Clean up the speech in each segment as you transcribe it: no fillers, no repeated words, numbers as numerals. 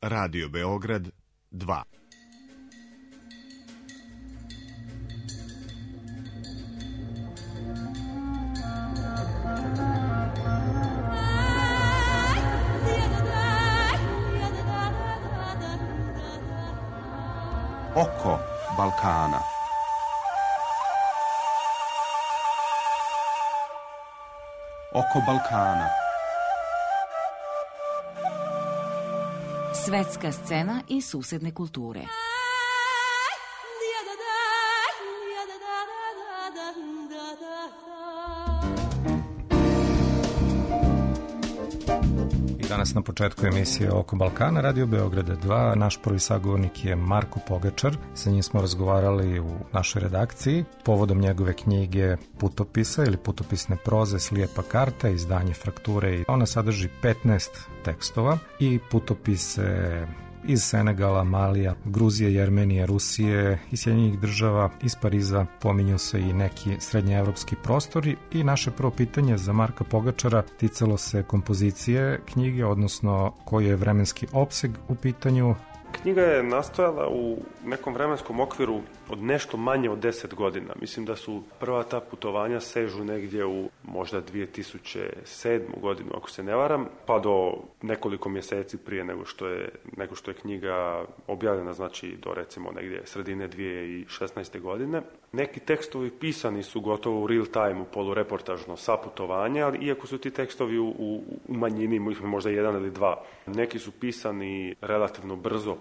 Radio Beograd 2. Oko Balkana. Oko Balkana. Svetska scena i susedne kulture. Danas na početku emisije Oko Balkana, Radio Beograda 2, naš prvi sagovornik je Marko Pogačar. Sa njim smo razgovarali u našoj redakciji povodom njegove knjige Putopisa ili putopisne proze Slijepa karta, izdanje Frakture. Ona sadrži 15 tekstova i putopise iz Senegala, Malija, Gruzije, Jermenije, Rusije i Sjedinjenih država, iz Pariza, pominju se i neki srednjeevropski prostori. I naše prvo pitanje za Marka Pogačara ticalo se kompozicije knjige, odnosno koji je vremenski opseg u pitanju. Knjiga je nastojala u nekom vremenskom okviru od nešto manje od 10 godina. Mislim da su prva ta putovanja sežu negdje u možda 2007. godinu, ako se ne varam, pa do nekoliko mjeseci prije nego što je knjiga objavljena, znači do recimo negdje sredine 2016. godine. Neki tekstovi pisani su gotovo u real time, u polureportažno sa putovanja, ali iako su ti tekstovi u manjini, možda jedan ili dva. Neki su pisani relativno brzo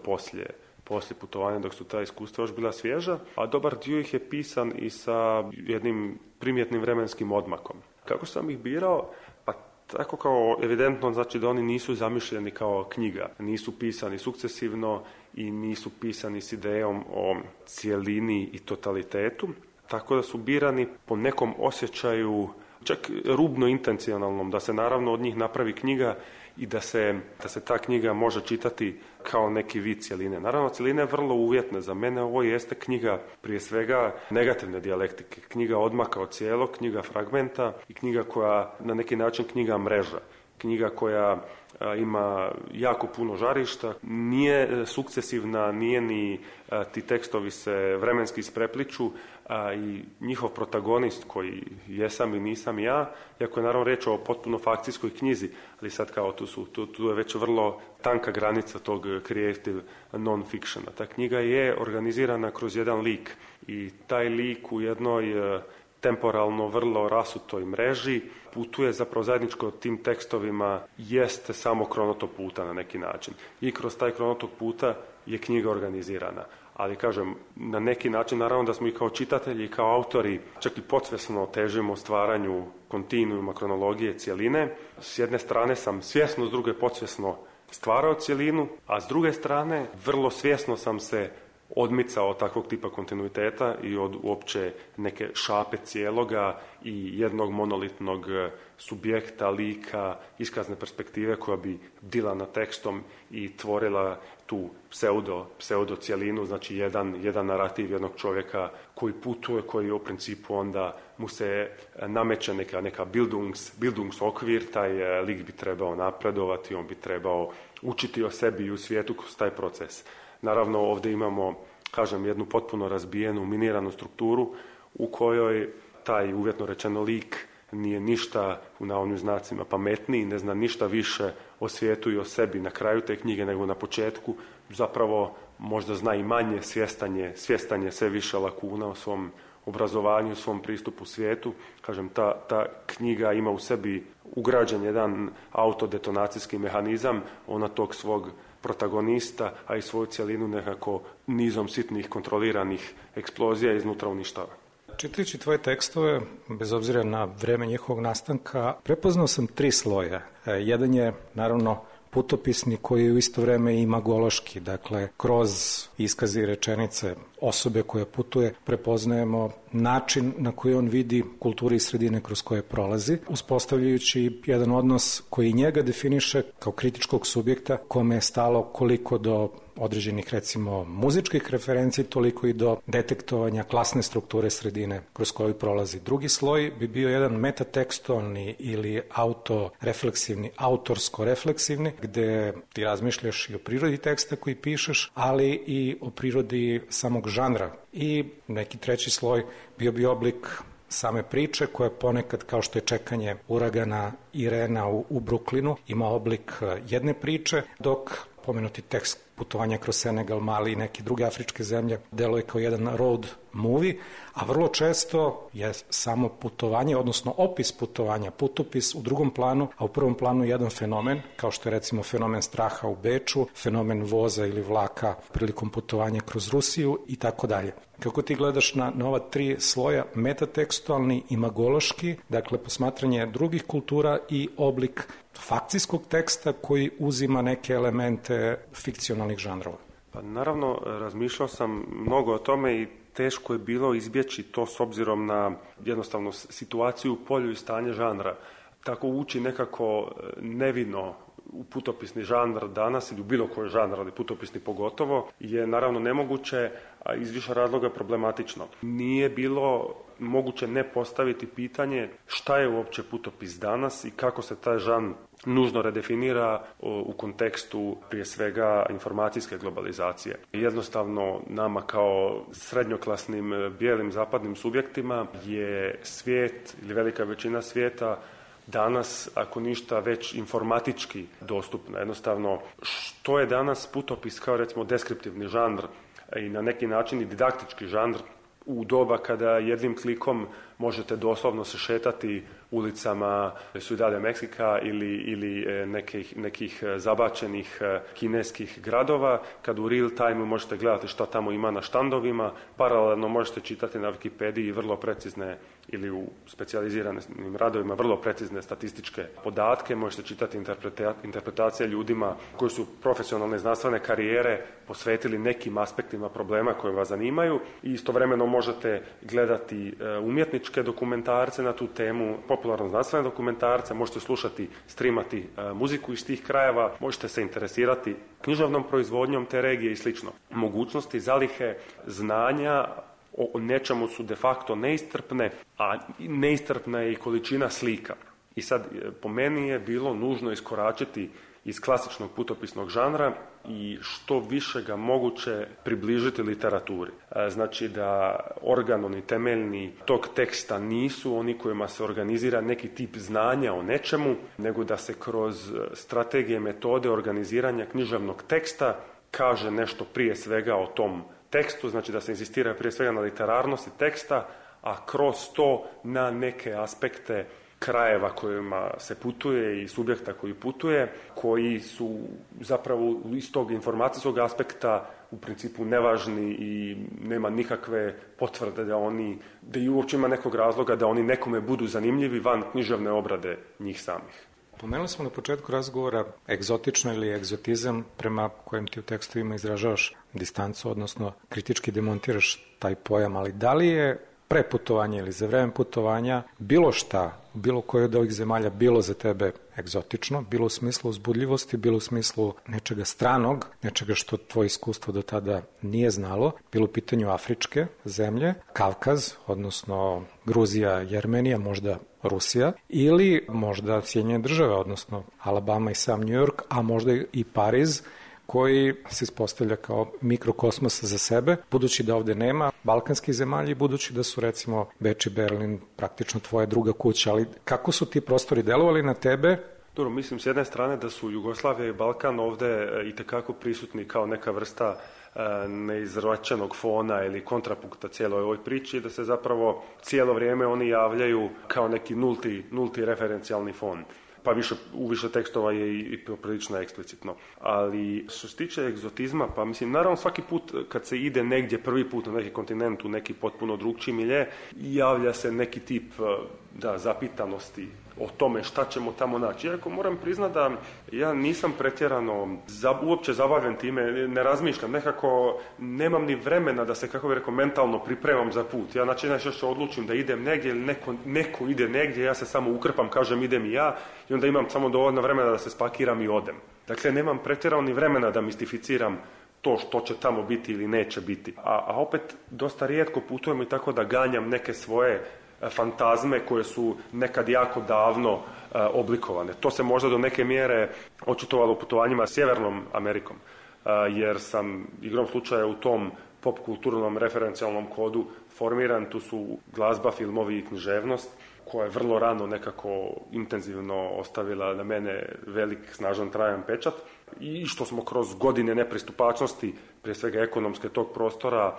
poslije putovanja, dok su ta iskustva još bila svježa, a dobar dio ih je pisan i sa jednim primjetnim vremenskim odmakom. Kako sam ih birao? Pa tako kao evidentno, znači da oni nisu zamišljeni kao knjiga, nisu pisani sukcesivno i nisu pisani s idejom o cijelini i totalitetu, tako da su birani po nekom osjećaju, čak rubno intencionalnom, da se naravno od njih napravi knjiga i da se ta knjiga može čitati kao neki vid cjeline. Naravno, cjeline je vrlo uvjetne. Za mene ovo jeste knjiga prije svega negativne dijalektike, knjiga odmaka od cijelog, knjiga fragmenta i knjiga koja na neki način knjiga mreža. Knjiga koja ima jako puno žarišta, nije sukcesivna, nije ni ti tekstovi se vremenski isprepliču i njihov protagonist koji jesam i nisam ja, iako je naravno reč o potpuno fakcijskoj knjizi, ali sad kao tu je već vrlo tanka granica tog creative non-fictiona. Ta knjiga je organizirana kroz jedan lik i taj lik u jednoj temporalno vrlo rasutoj mreži putuje, zapravo zajedničko tim tekstovima jeste samo kronotok puta na neki način. I kroz taj kronotok puta je knjiga organizirana. Ali kažem, na neki način naravno da smo i kao čitatelji i kao autori čak i podsvjesno težimo stvaranju kontinuuma kronologije cjeline. S jedne strane sam svjesno, s druge podsvjesno stvarao cjelinu, a s druge strane vrlo svjesno sam se odmicao od takvog tipa kontinuiteta i od uopće neke šape cijeloga i jednog monolitnog subjekta, lika, iskazne perspektive koja bi bdila nad tekstom i tvorila tu pseudo cijelinu, znači jedan narativ jednog čovjeka koji putuje, koji u principu onda mu se nameće neka bildungsokvir, taj lik bi trebao napredovati, on bi trebao učiti o sebi i u svijetu kroz taj proces. Naravno, ovdje imamo, kažem, jednu potpuno razbijenu, miniranu strukturu u kojoj taj, uvjetno rečeno, lik nije ništa, u navodnim znacima, pametniji, ne zna ništa više o svijetu i o sebi na kraju te knjige nego na početku. Zapravo možda zna i manje, svjestan je sve više lakuna o svom obrazovanju, svom pristupu svijetu. Kažem, ta knjiga ima u sebi ugrađen jedan autodetonacijski mehanizam, ona tog svog protagonista, a i svoju cjelinu nekako nizom sitnih kontroliranih eksplozija iznutra uništava. Čitajući tvoje tekstove, bez obzira na vreme njihovog nastanka, prepoznao sam 3 sloja. Jedan je, naravno, putopisni koji je u isto vrijeme i magološki, dakle, kroz iskaze i rečenice osobe koja putuje prepoznajemo način na koji on vidi kulturu i sredine kroz koje prolazi, uspostavljajući jedan odnos koji njega definiše kao kritičkog subjekta kome je stalo koliko do određenih, recimo, muzičkih referenci, toliko i do detektovanja klasne strukture sredine kroz koju prolazi. Drugi sloj bi bio jedan metatekstualni ili autorefleksivni, autorsko-refleksivni, gde ti razmišljaš i o prirodi teksta koji pišeš, ali i o prirodi samog žanra. I neki treći sloj bio bi oblik same priče koja ponekad, kao što je čekanje uragana Irena u Bruklinu, ima oblik jedne priče, dok pomenuti tekst putovanja kroz Senegal, Mali i neke druge afričke zemlje deluje kao jedan road movie, a vrlo često je samo putovanje, odnosno opis putovanja, putopis u drugom planu, a u prvom planu jedan fenomen, kao što je recimo fenomen straha u Beču, fenomen voza ili vlaka prilikom putovanja kroz Rusiju i tako dalje. Kako ti gledaš na ova tri sloja, metatekstualni, imagološki, dakle posmatranje drugih kultura i oblik fakcijskog teksta koji uzima neke elemente fikcionalnih žanrova? Pa naravno, razmišljao sam mnogo o tome i teško je bilo izbjeći to s obzirom na jednostavno situaciju u polju i stanje žanra. Tako ući nekako nevino u putopisni žanr danas ili u bilo koji žanr, ali putopisni pogotovo, je naravno nemoguće, a iz više razloga problematično. Nije bilo moguće ne postaviti pitanje šta je uopće putopis danas i kako se taj žanr nužno redefinira u kontekstu prije svega informacijske globalizacije. Jednostavno nama kao srednjoklasnim bijelim zapadnim subjektima je svijet ili velika većina svijeta danas, ako ništa, već informatički dostupna. Jednostavno, što je danas putopis kao recimo deskriptivni žanr i na neki način i didaktički žanr u doba kada jednim klikom možete doslovno se šetati ulicama Ciudad Meksika ili nekih zabačenih kineskih gradova, kad u real time možete gledati šta tamo ima na štandovima, paralelno možete čitati na Wikipediji vrlo precizne ili u specijaliziranim radovima vrlo precizne statističke podatke, možete čitati interpretacije ljudima koji su profesionalne znanstvene karijere posvetili nekim aspektima problema koje vas zanimaju i istovremeno možete gledati umjetničke dokumentarce na tu temu, popularno znanstvene dokumentarce, možete slušati, streamati muziku iz tih krajeva, možete se interesirati književnom proizvodnjom te regije i slično. Mogućnosti zalihe znanja o nečemu su de facto neistrpne, a neistrpna je i količina slika. I sad, po meni je bilo nužno iskoračiti iz klasičnog putopisnog žanra i što više ga moguće približiti literaturi. Znači da organoni temeljni tog teksta nisu oni kojima se organizira neki tip znanja o nečemu, nego da se kroz strategije, metode organiziranja književnog teksta kaže nešto prije svega o tom tekstu, znači da se insistira prije svega na literarnosti teksta, a kroz to na neke aspekte krajeva kojima se putuje i subjekta koji putuje, koji su zapravo iz tog informacijskog aspekta u principu nevažni i nema nikakve potvrde da i uopće ima nekog razloga da oni nekome budu zanimljivi van književne obrade njih samih. Pomenuli smo na početku razgovora egzotično ili egzotizam prema kojem ti u tekstovima izražavaš distancu, odnosno kritički demontiraš taj pojam, ali da li je pre putovanja ili za vreme putovanja bilo šta, bilo koje od ovih zemalja bilo za tebe egzotično, bilo u smislu uzbudljivosti, bilo u smislu nečega stranog, nečega što tvoje iskustvo do tada nije znalo, bilo u pitanju afričke zemlje, Kavkaz, odnosno Gruzija, Jermenija, možda Rusija, ili možda Sjedinjene Države, odnosno Alabama i sam New York, a možda i Pariz, koji se ispostavlja kao mikrokosmos za sebe, budući da ovde nema balkanskih zemalja i budući da su recimo Beč i Berlin praktično tvoja druga kuća, ali kako su ti prostori delovali na tebe? Dobro, mislim s jedne strane da su Jugoslavija i Balkan ovde itekako prisutni kao neka vrsta neizračenog fona ili kontrapunkta cijeloj ovoj priči, da se zapravo cijelo vrijeme oni javljaju kao neki nulti referencijalni fon. Pa u više tekstova je i prilično eksplicitno. Ali što se tiče egzotizma, pa mislim, naravno svaki put kad se ide negdje prvi put na neki kontinent, u neki potpuno drugčiji milje, javlja se neki tip zapitanosti o tome šta ćemo tamo naći. Iako moram priznati da ja nisam pretjerano uopće zabavljen time, ne razmišljam, nekako nemam ni vremena da se, kako bih rekao, mentalno pripremam za put. Ja najčešće odlučim da idem negdje ili neko ide negdje, ja se samo ukrpam, kažem idem i ja i onda imam samo dovoljno vremena da se spakiram i odem. Dakle, nemam pretjerano ni vremena da mistificiram to što će tamo biti ili neće biti. A opet dosta rijetko putujemo i tako da ganjam neke svoje fantazme koje su nekad jako davno oblikovane. To se možda do neke mjere očitovalo u putovanjima Sjevernom Amerikom, jer sam igrom slučaja u tom pop kulturnom referencijalnom kodu formiran. Tu su glazba, filmovi i književnost, koja je vrlo rano nekako intenzivno ostavila na mene velik, snažan, trajan pečat, i što smo kroz godine nepristupačnosti, prije svega ekonomske, tog prostora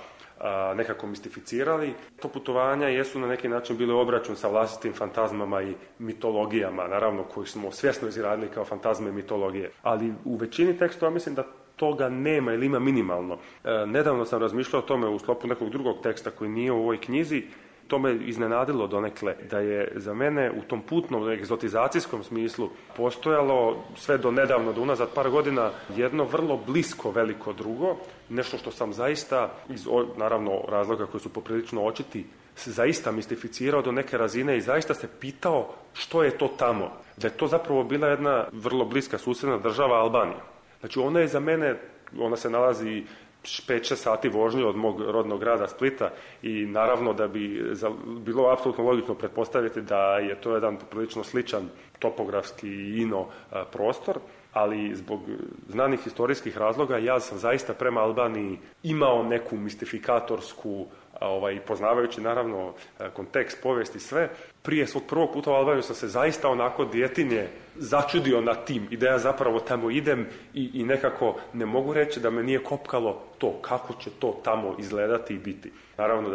nekako mistificirali. To putovanja jesu na neki način bile obračun sa vlastitim fantazmama i mitologijama, naravno koji smo svjesno izradili kao fantazme i mitologije. Ali u većini tekstova mislim da toga nema ili ima minimalno. Nedavno sam razmišljao o tome u sklopu nekog drugog teksta koji nije u ovoj knjizi. To me iznenadilo donekle, da je za mene u tom putnom egzotizacijskom smislu postojalo sve do nedavno, do unazad par godina, jedno vrlo blisko veliko drugo, nešto što sam zaista, iz naravno razloga koji su poprilično očiti, se zaista mistificirao do neke razine i zaista se pitao što je to tamo. Da je to zapravo bila jedna vrlo bliska susjedna država, Albanija. Znači ona je za mene, ona se nalazi 5-6 sati vožnje od mog rodnog grada Splita i naravno da bi bilo apsolutno logično pretpostaviti da je to jedan prilično sličan topografski i prostor, ali zbog znanih historijskih razloga ja sam zaista prema Albaniji imao neku mistifikatorsku, poznavajući naravno kontekst, povijest i sve. Prije svog prvog puta u Albaniju sam se zaista onako djetinje začudio na tim i da ja zapravo tamo idem i nekako ne mogu reći da me nije kopkalo to kako će to tamo izgledati i biti. Naravno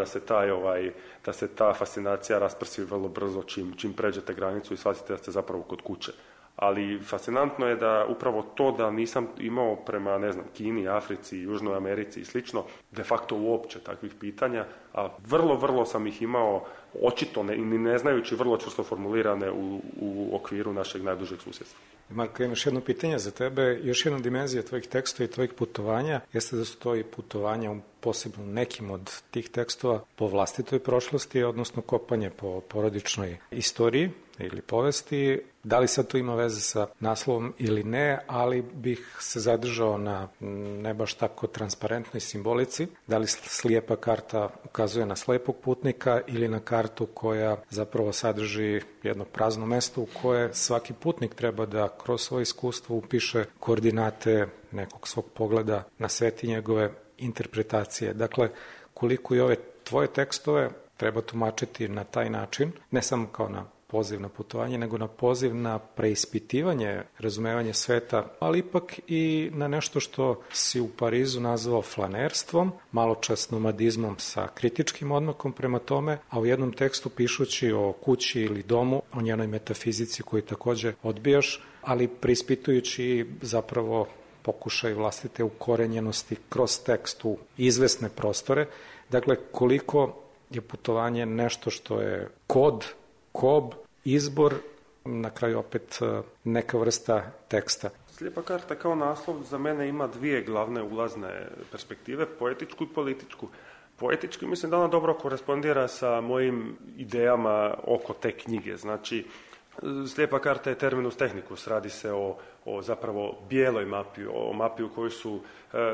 da se ta fascinacija rasprsi vrlo brzo čim pređete granicu i shvatite da ste zapravo kod kuće. Ali fascinantno je da upravo to da nisam imao prema, Kini, Africi, Južnoj Americi i slično, de facto uopće takvih pitanja, a vrlo sam ih imao očito ne znajući vrlo čvrsto formulirane u okviru našeg najdužeg susjedstva. Marko, imaš jedno pitanje za tebe. Još jedna dimenzija tvojih tekstova i tvojih putovanja jeste da su to i putovanja posebno nekim od tih tekstova po vlastitoj prošlosti, odnosno kopanje po porodičnoj istoriji ili povesti. Da li sad to ima veze sa naslovom ili ne, ali bih se zadržao na ne baš tako transparentnoj simbolici. Da li slijepa karta ukazuje na slijepog putnika ili na kartu koja zapravo sadrži jedno prazno mesto u koje svaki putnik treba da kroz svoje iskustvo upiše koordinate nekog svog pogleda na svet i njegove interpretacije. Dakle, koliko i ove tvoje tekstove treba tumačiti na taj način, ne samo kao na poziv na putovanje, nego na poziv na preispitivanje, razumevanje sveta, ali ipak i na nešto što si u Parizu nazvao flanerstvom, maločas nomadizmom sa kritičkim odmakom prema tome, a u jednom tekstu pišući o kući ili domu, o njenoj metafizici koju također odbijaš, ali preispitujući zapravo pokušaj vlastite ukorenjenosti kroz tekst u izvesne prostore. Dakle, koliko je putovanje nešto što je kob, izbor, na kraju opet neka vrsta teksta. Slijepa karta kao naslov za mene ima dvije glavne ulazne perspektive, poetičku i političku. Poetički mislim da ona dobro korespondira sa mojim idejama oko te knjige. Znači, slijepa karta je terminus technicus, radi se o zapravo bijeloj mapi, o mapi u kojoj su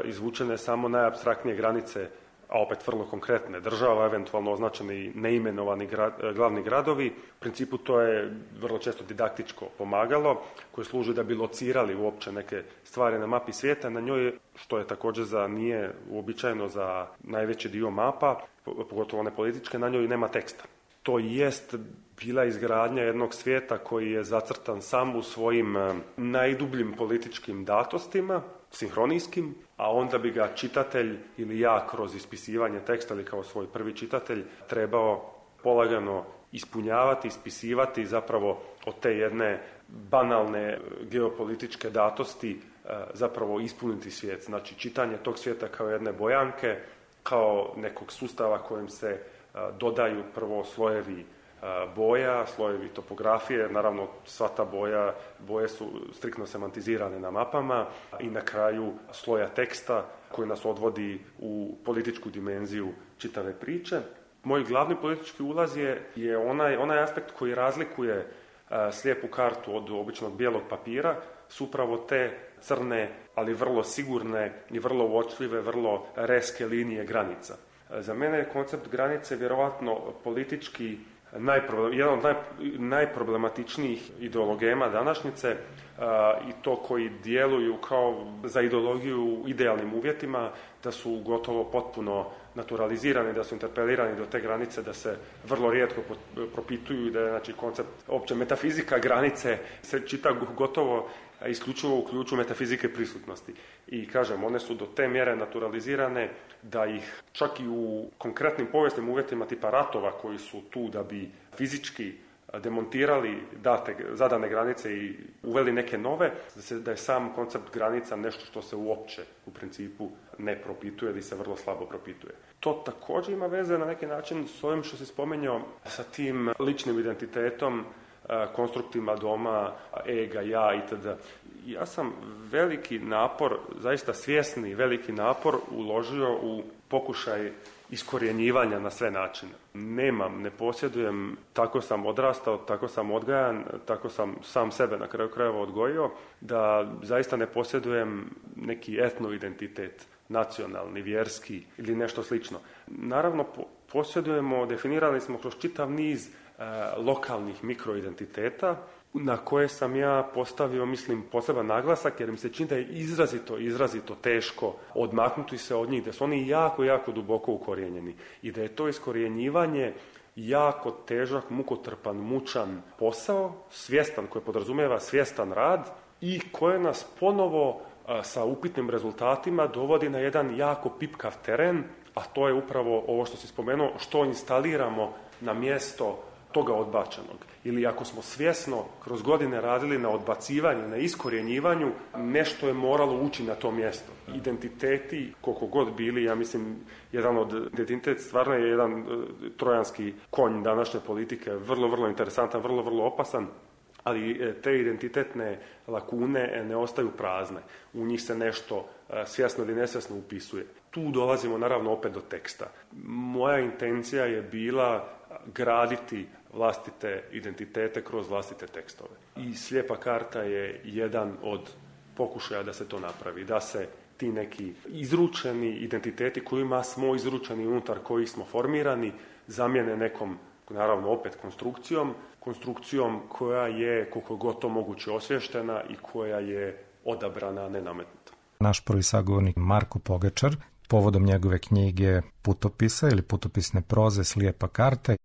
izvučene samo najapstraktnije granice, a opet vrlo konkretne država, eventualno označeni neimenovani glavni gradovi. U principu to je vrlo često didaktičko pomagalo koje služi da bi locirali uopće neke stvari na mapi svijeta. Na njoj, što je također nije uobičajeno za najveći dio mapa, pogotovo one političke, na njoj nema teksta. To jest bila izgradnja jednog svijeta koji je zacrtan sam u svojim najdubljim političkim datostima, sinhronijskim, a onda bi ga čitatelj ili ja kroz ispisivanje teksta ili kao svoj prvi čitatelj trebao polagano ispunjavati, ispisivati zapravo od te jedne banalne geopolitičke datosti zapravo ispuniti svijet. Znači čitanje tog svijeta kao jedne bojanke, kao nekog sustava kojim se dodaju prvo slojevi boja, slojevi topografije, naravno sva ta boje su striktno semantizirane na mapama i na kraju sloja teksta koji nas odvodi u političku dimenziju čitave priče. Moj glavni politički ulaz je onaj aspekt koji razlikuje slijepu kartu od običnog bijelog papira su upravo te crne, ali vrlo sigurne i vrlo uočljive, vrlo reske linije granica. Za mene je koncept granice vjerovatno politički jedan od najproblematičnijih ideologema današnjice i to koji djeluju kao za ideologiju u idealnim uvjetima, da su gotovo potpuno naturalizirani, da su interpelirani do te granice, da se vrlo rijetko propituju i da je znači, koncept opće metafizika granice se čita gotovo isključivo u ključu metafizike prisutnosti. I kažem, one su do te mjere naturalizirane da ih čak i u konkretnim povijesnim uvjetima tipa ratova koji su tu da bi fizički demontirali zadane granice i uveli neke nove, da je sam koncept granica nešto što se uopće u principu ne propituje ili se vrlo slabo propituje. To također ima veze na neki način s ovim što si spomenuo sa tim ličnim identitetom, konstruktima doma, ega, ja itd. Ja sam veliki napor, zaista svjesni veliki napor uložio u pokušaj iskorjenjivanja na sve načine. Ne posjedujem, tako sam odrastao, tako sam odgajan, tako sam sam sebe na kraju krajeva odgojio, da zaista ne posjedujem neki etno identitet, nacionalni, vjerski ili nešto slično. Naravno, posjedujemo, definirali smo kroz čitav niz lokalnih mikroidentiteta na koje sam ja postavio, mislim, poseban naglasak jer mi se čini da je izrazito teško odmaknuti se od njih, da su oni jako, jako duboko ukorijenjeni i da je to iskorjenjivanje jako težak, mukotrpan, mučan posao, svjestan, koji podrazumijeva svjestan rad i koje nas ponovo sa upitnim rezultatima dovodi na jedan jako pipkav teren, a to je upravo ovo što si spomenuo, što instaliramo na mjesto toga odbačenog. Ili ako smo svjesno kroz godine radili na odbacivanju, na iskorjenjivanju, nešto je moralo ući na to mjesto. Identiteti, koliko god bili, ja mislim, identitet stvarno je jedan trojanski konj današnje politike, vrlo, vrlo interesantan, vrlo, vrlo opasan, ali te identitetne lakune ne ostaju prazne. U njih se nešto svjesno ili nesvjesno upisuje. Tu dolazimo naravno opet do teksta. Moja intencija je bila graditi vlastite identitete kroz vlastite tekstove. I slijepa karta je jedan od pokušaja da se to napravi, da se ti neki izručeni identiteti kojima smo izručeni, unutar kojih smo formirani, zamijene nekom, naravno opet konstrukcijom koja je koliko god to moguće osvještena i koja je odabrana, ne nametnuta. Naš prvi sagovornik Marko Pogačar, povodom njegove knjige Putopisa ili putopisne proze Slijepa karta.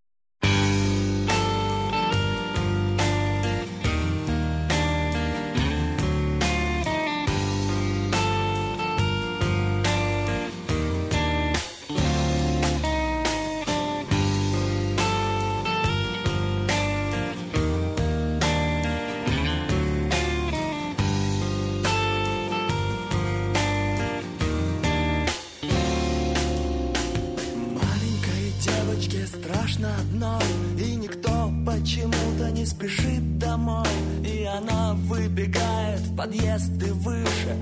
Страшно одной, и никто почему-то не спешит домой. И она выбегает в подъезд и выше.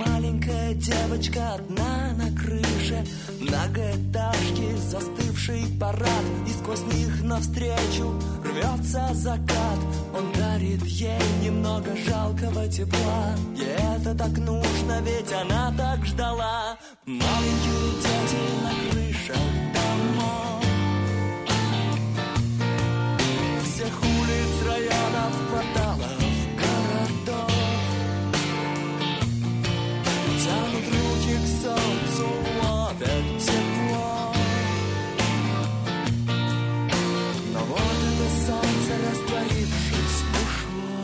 Маленькая девочка одна на крыше. Многоэтажки, застывший парад, и сквозь них навстречу рвется закат. Он дарит ей немного жалкого тепла. Ей это так нужно, ведь она так ждала. Маленькие дети на крышах домов, всех улиц, районов, кварталов, городов, тянут руки к солнцу, ловят тепло. Но вот это солнце, растворившись, ушло.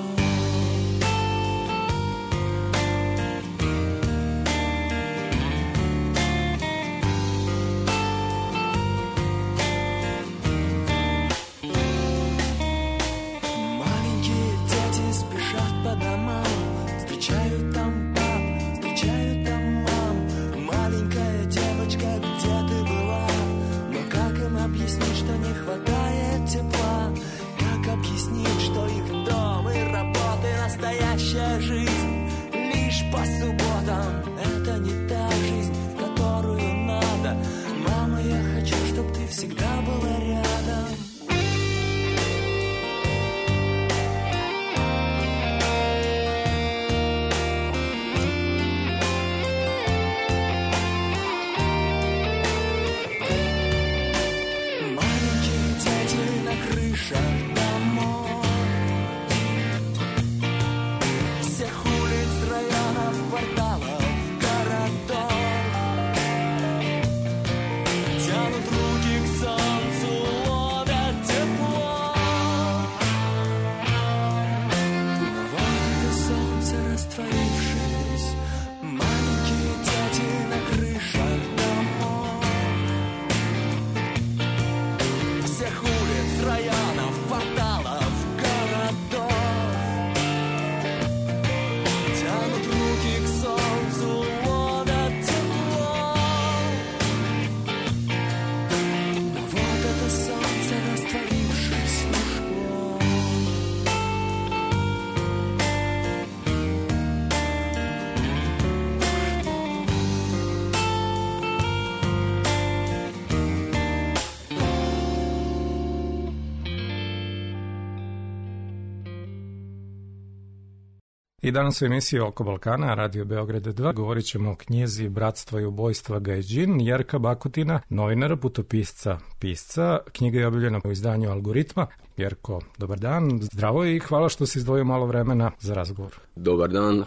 I danas u emisiji Oko Balkana, Radio Beograd 2, govorit ćemo o knjizi Bratstva i ubojstva Gajdžin, Jerka Bakutina, novinara, putopisca, pisca. Knjiga je objavljena u izdanju Algoritma. Jerko, dobar dan, zdravo i hvala što si izdvojio malo vremena za razgovor. Dobar dan,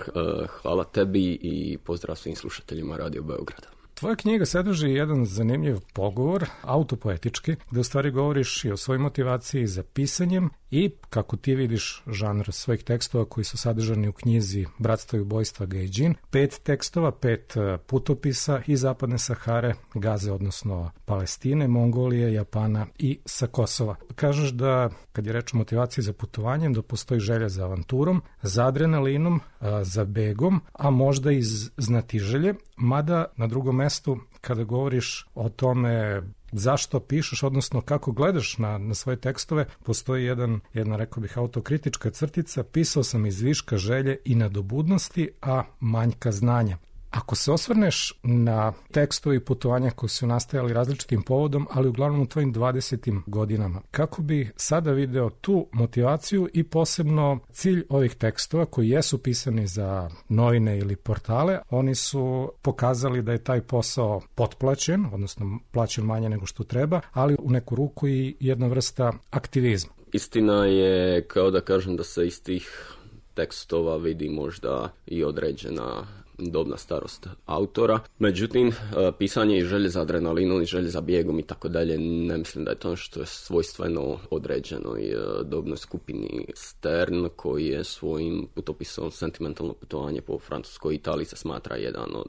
hvala tebi i pozdrav svim slušateljima Radio Beograda. Tvoja knjiga sadrži jedan zanimljiv pogovor, autopoetički, gde u stvari govoriš i o svojoj motivaciji za pisanjem i kako ti vidiš žanr svojih tekstova koji su sadržani u knjizi Bratstva i ubojstva Gajdžin. 5 tekstova, 5 putopisa iz Zapadne Sahare, Gaze, odnosno Palestine, Mongolije, Japana i sa Kosova. Kažeš da, kad je reč o motivaciji za putovanjem, da postoji želja za avanturom, za adrenalinom, za begom, a možda i znatiželje, mada na drugom mestu kada govoriš o tome zašto pišeš, odnosno kako gledaš na svoje tekstove, postoji jedna, rekao bih, autokritička crtica: pisao sam iz viška želje i nadobudnosti, a manjka znanja. Ako se osvrneš na tekstove i putovanja koji su nastajali različitim povodom, ali uglavnom u tvojim 20. godinama, kako bi sada video tu motivaciju i posebno cilj ovih tekstova koji jesu pisani za novine ili portale? Oni su pokazali da je taj posao potplaćen, odnosno plaćen manje nego što treba, ali u neku ruku i jedna vrsta aktivizma. Istina je, kao da kažem, da se iz tih tekstova vidi možda i određena dobna starost autora. Međutim, pisanje i želje za adrenalinom i želje za bijegom i tako dalje, ne mislim da je to što je svojstveno određenoj dobnoj skupini. Stern, koji je svojim putopisom Sentimentalno putovanje po Francuskoj Italiji se smatra jedan od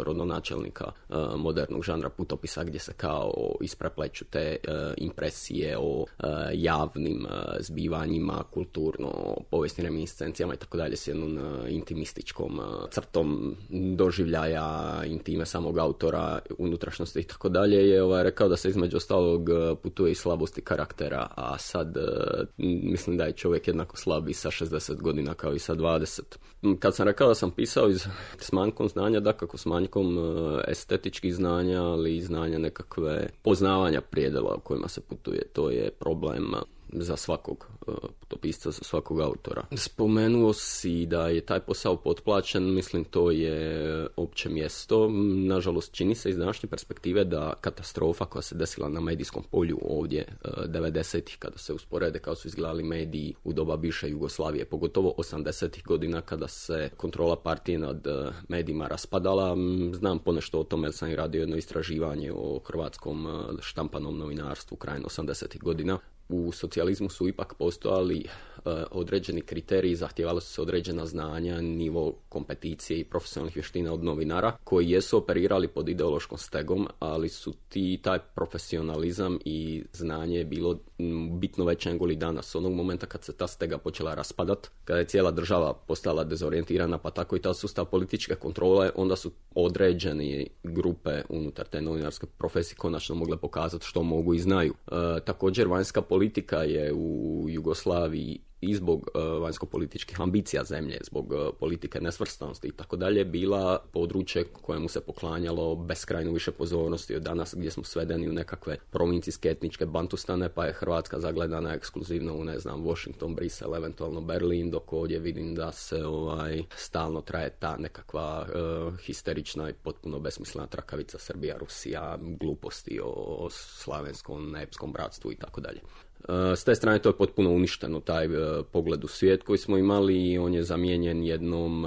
rodonačelnika modernog žanra putopisa, gdje se kao isprepleću te impresije o javnim zbivanjima, kulturno povijesnim reminiscencijama i tako dalje, s jednom intimističkom crtom doživljaja, intime samog autora, unutrašnjosti i tako dalje, je rekao da se između ostalog putuje i slabosti karaktera, a sad mislim da je čovjek jednako slab i sa 60 godina kao i sa 20. Kad sam rekao da sam pisao s manjkom znanja, dakako s manjkom estetičkih znanja, ali i znanja nekakve poznavanja prijedela u kojima se putuje, to je problem za svakog putopisca, za svakog autora. Spomenuo si da je taj posao potplaćen, mislim to je opće mjesto. Nažalost, čini se iz današnje perspektive da katastrofa koja se desila na medijskom polju ovdje 90-ih, kada se usporede kao su izgledali mediji u doba bivše Jugoslavije, pogotovo 80-ih godina kada se kontrola partije nad medijima raspadala. Znam ponešto o tome jer sam i radio jedno istraživanje o hrvatskom štampanom novinarstvu krajem 80-ih godina. U socijalizmu su ipak postojali određeni kriteriji, zahtijevala su se određena znanja, nivo kompeticije i profesionalnih vještina od novinara koji jesu operirali pod ideološkom stegom, ali su taj profesionalizam i znanje bilo bitno veće nego li danas. Onog momenta kad se ta stega počela raspadat, kada je cijela država postala dezorijentirana, pa tako i ta sustav političke kontrole, onda su određene grupe unutar te novinarske profesije konačno mogle pokazati što mogu i znaju. Također, vanjska politika je u Jugoslaviji i zbog vanjsko-političkih ambicija zemlje, zbog politike nesvrstanosti i tako dalje, bila područje kojemu se poklanjalo beskrajno više pozornosti od danas, gdje smo svedeni u nekakve provincijske etničke bantustane, pa je Hrvatska zagledana ekskluzivno u, Washington, Brisel, eventualno Berlin, dok ovdje vidim da se stalno traje ta nekakva histerična i potpuno besmislena trakavica Srbija, Rusija, gluposti o slavenskom, nepskom bratstvu i tako dalje. S te strane to je potpuno uništeno, taj pogled u svijet koji smo imali, i on je zamijenjen jednom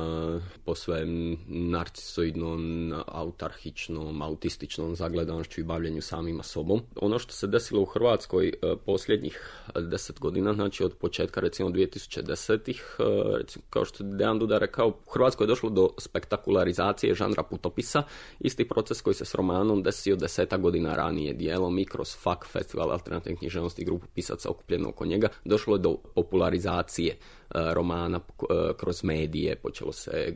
posve narcisoidnom, autarhičnom, autističnom zagledanošću i bavljenju samima sobom. Ono što se desilo u Hrvatskoj posljednjih 10 godina, znači od početka recimo 2010-ih, recimo, kao što je Dejan Duda rekao, u Hrvatskoj je došlo do spektakularizacije žanra putopisa, isti proces koji se s romanom desio 10 godina ranije, dijelom i kroz FAK, Festival alternativne književnosti i grupu pisaca okupljeno oko njega, došlo je do popularizacije romana kroz medije, počelo se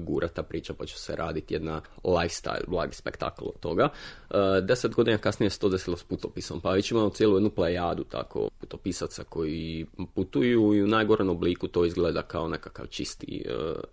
gurata priča, počelo se raditi jedna lifestyle, blagi spektakl od toga. 10 godina kasnije se to desilo s putopisom, pa već imamo cijelu jednu plejadu tako putopisaca koji putuju i u najgorem obliku to izgleda kao nekakav čisti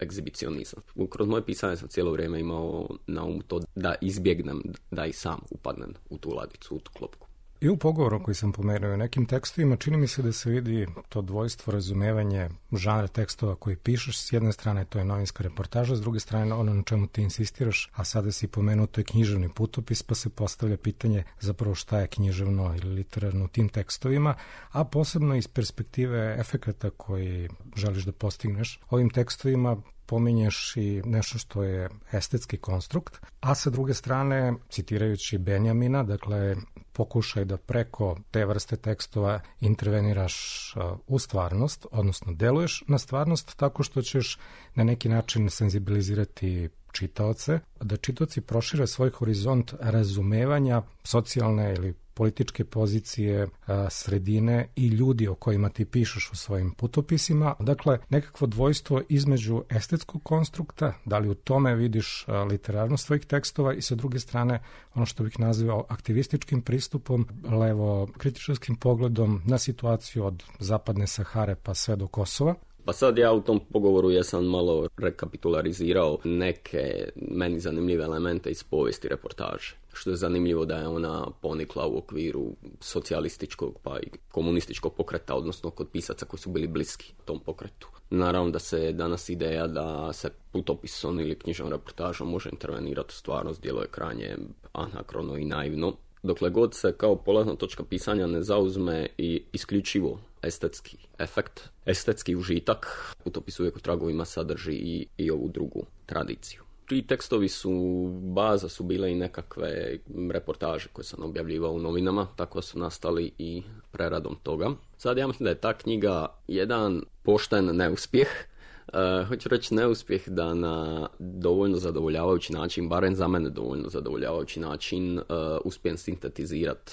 egzibicionizam. Kroz moje pisanje sam cijelo vrijeme imao na umu to da izbjegnem da i sam upadnem u tu ladicu, u tu klopku. I u pogovoru koji sam pomenuo u nekim tekstovima čini mi se da se vidi to dvojstvo, razumevanje žanra tekstova koji pišeš. S jedne strane to je novinska reportaža, s druge strane ono na čemu ti insistiraš, a sada si pomenuo to je književni putopis, pa se postavlja pitanje zapravo šta je književno ili literarno u tim tekstovima, a posebno iz perspektive efekata koji želiš da postigneš. Ovim tekstovima pominješ i nešto što je estetski konstrukt, a sa druge strane, citirajući Benjamina, dakle, pokušaj da preko te vrste tekstova interveniraš u stvarnost, odnosno deluješ na stvarnost tako što ćeš na neki način senzibilizirati čitaoce, da čitaoci prošire svoj horizont razumevanja socijalne ili političke pozicije, sredine i ljudi o kojima ti pišeš u svojim putopisima. Dakle, nekakvo dvojstvo između estetskog konstrukta, da li u tome vidiš literarnost svojih tekstova i sa druge strane ono što bih nazvao aktivističkim pristupom, levo kritičarskim pogledom na situaciju od zapadne Sahare pa sve do Kosova. Pa sad ja u tom pogovoru jesam malo rekapitularizirao neke meni zanimljive elemente iz povijesti reportaže. Što je zanimljivo da je ona ponikla u okviru socijalističkog pa i komunističkog pokreta, odnosno kod pisaca koji su bili bliski tom pokretu. Naravno da se danas ideja da se putopisom ili knjižnom reportažom može intervenirati u stvarnost djeluje krajnje anakrono i naivno. Dokle god se kao polazna točka pisanja ne zauzme i isključivo estetski efekt, estetski užitak, putopis uvijek u tragovima sadrži i ovu drugu tradiciju. Ti tekstovi baza su bile i nekakve reportaže koje sam objavljivao u novinama, tako su nastali i preradom toga. Sad ja mislim da je ta knjiga jedan pošten neuspjeh. Hoću reći neuspjeh da na dovoljno zadovoljavajući način, barem za mene dovoljno zadovoljavajući način, uspijem sintetizirati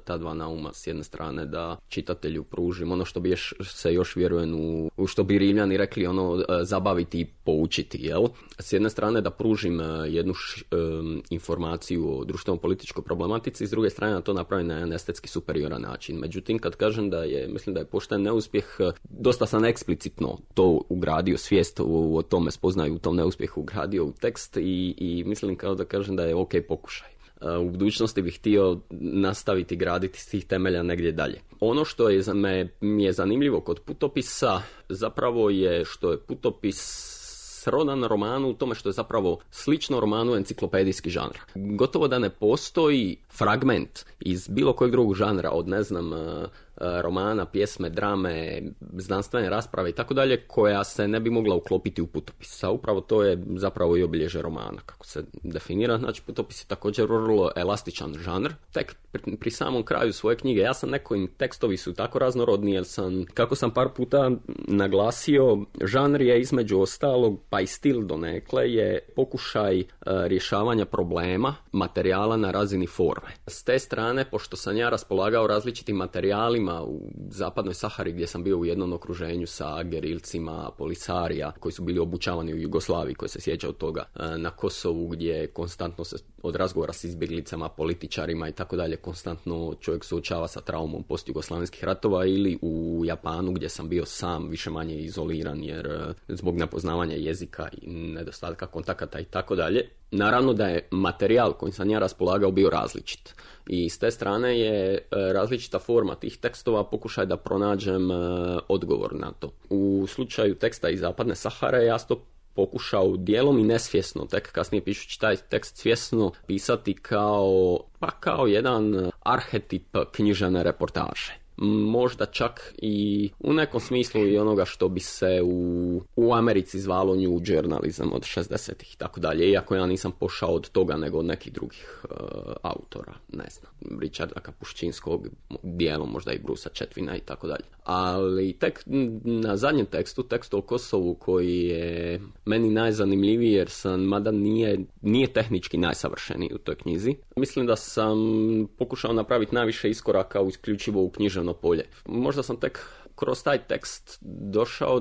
ta dva nauma. S jedne strane da čitatelju pružim ono što bi se još vjerujem u što bi Rimljani rekli, ono zabaviti i poučiti, jel? S jedne strane da pružim jednu informaciju o društveno-političkoj problematici, s druge strane da to napravim na jedan estetski superioran način. Međutim, kad kažem mislim da je pošten neuspjeh, dosta sam eksplicitno to ugradio, svijest o tome spoznaju, u tom neuspjehu ugradio u tekst i mislim kao da kažem da je ok pokušaj. U budućnosti bih htio nastaviti graditi s tih temelja negdje dalje. Ono što mi je zanimljivo kod putopisa zapravo je što je putopis srodan romanu u tome što je zapravo slično romanu enciklopedijski žanr. Gotovo da ne postoji fragment iz bilo kojeg drugog žanra, od romana, pjesme, drame, znanstvene rasprave i tako dalje, koja se ne bi mogla uklopiti u putopis. A upravo to je zapravo i obilježje romana, kako se definira. Znači, putopis je također vrlo elastičan žanr. Tek pri samom kraju svoje knjige, ja sam tekstovi su tako raznorodni, jer kako sam par puta naglasio, žanr je između ostalog, pa i stil donekle, je pokušaj rješavanja problema, materijala na razini forme. S te strane, pošto sam ja raspolagao različitim materijalima u zapadnoj Sahari, gdje sam bio u jednom okruženju sa gerilcima, polisarija, koji su bili obučavani u Jugoslaviji, koji se sjeća od toga, na Kosovu, gdje konstantno se od razgovora s izbjeglicama, političarima i tako dalje, konstantno čovjek suočava sa traumom postjugoslavenskih ratova, ili u Japanu, gdje sam bio sam više manje izoliran, jer zbog nepoznavanja jezika i nedostatka kontakata i tako dalje. Naravno da je materijal kojim sam ja raspolagao bio različit. I s te strane je različita forma tih tekstova pokušaj da pronađem odgovor na to. U slučaju teksta iz Zapadne Sahare ja sam to pokušao dijelom i nesvjesno, tek kasnije pišući taj tekst svjesno, pisati kao jedan arhetip književne reportaže. Možda čak i u nekom smislu i onoga što bi se u Americi zvalo new journalism od 60-ih i tako dalje, iako ja nisam pošao od toga nego od nekih drugih autora, ne znam, Richarda Kapuščinskog, dijelom možda i Brusa Chetwina i tako dalje. Ali tek na zadnjem tekstu o Kosovu, koji je meni najzanimljiviji jer mada nije tehnički najsavršeniji u toj knjizi, mislim da sam pokušao napraviti najviše iskoraka isključivo u književno polje. Možda sam tek kroz taj tekst došao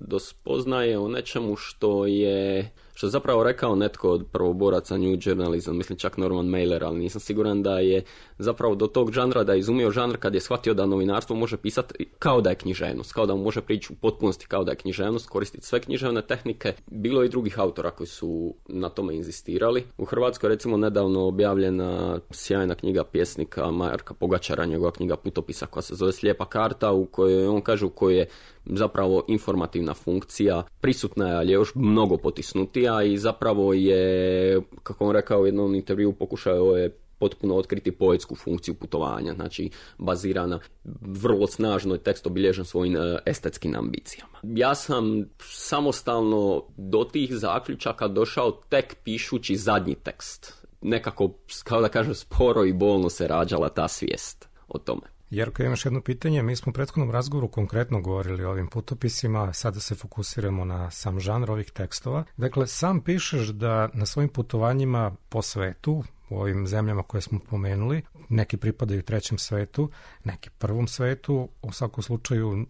do spoznaje o nečemu što je što je zapravo rekao netko od prvoboraca New Journalism, mislim čak Norman Mailer, ali nisam siguran da je zapravo do tog žanra, da je izumio žanr kad je shvatio da novinarstvo može pisati kao da je književnost, kao da mu može prići u potpunosti kao da je književnost, koristiti sve književne tehnike. Bilo je i drugih autora koji su na tome inzistirali. U Hrvatskoj recimo nedavno objavljena sjajna knjiga pjesnika Marka Pogačara, njegova knjiga Putopisa koja se zove Slijepa karta, u kojoj on kaže u kojoj je zapravo informativna funkcija prisutna je, ali je još mnogo potisnutija i zapravo je, kako on rekao u jednom intervju, pokušao je potpuno otkriti poetsku funkciju putovanja, znači bazirana vrlo snažno, tekst obilježen svojim estetskim ambicijama. Ja sam samostalno do tih zaključaka došao tek pišući zadnji tekst. Nekako, kao da kažem, sporo i bolno se rađala ta svijest o tome. Jerko, imaš jedno pitanje. Mi smo u prethodnom razgovoru konkretno govorili o ovim putopisima, sada se fokusiramo na sam žanr ovih tekstova. Dakle, sam pišeš da na svojim putovanjima po svetu, u ovim zemljama koje smo pomenuli, neki pripadaju trećem svetu, neki prvom svetu, u svakom slučaju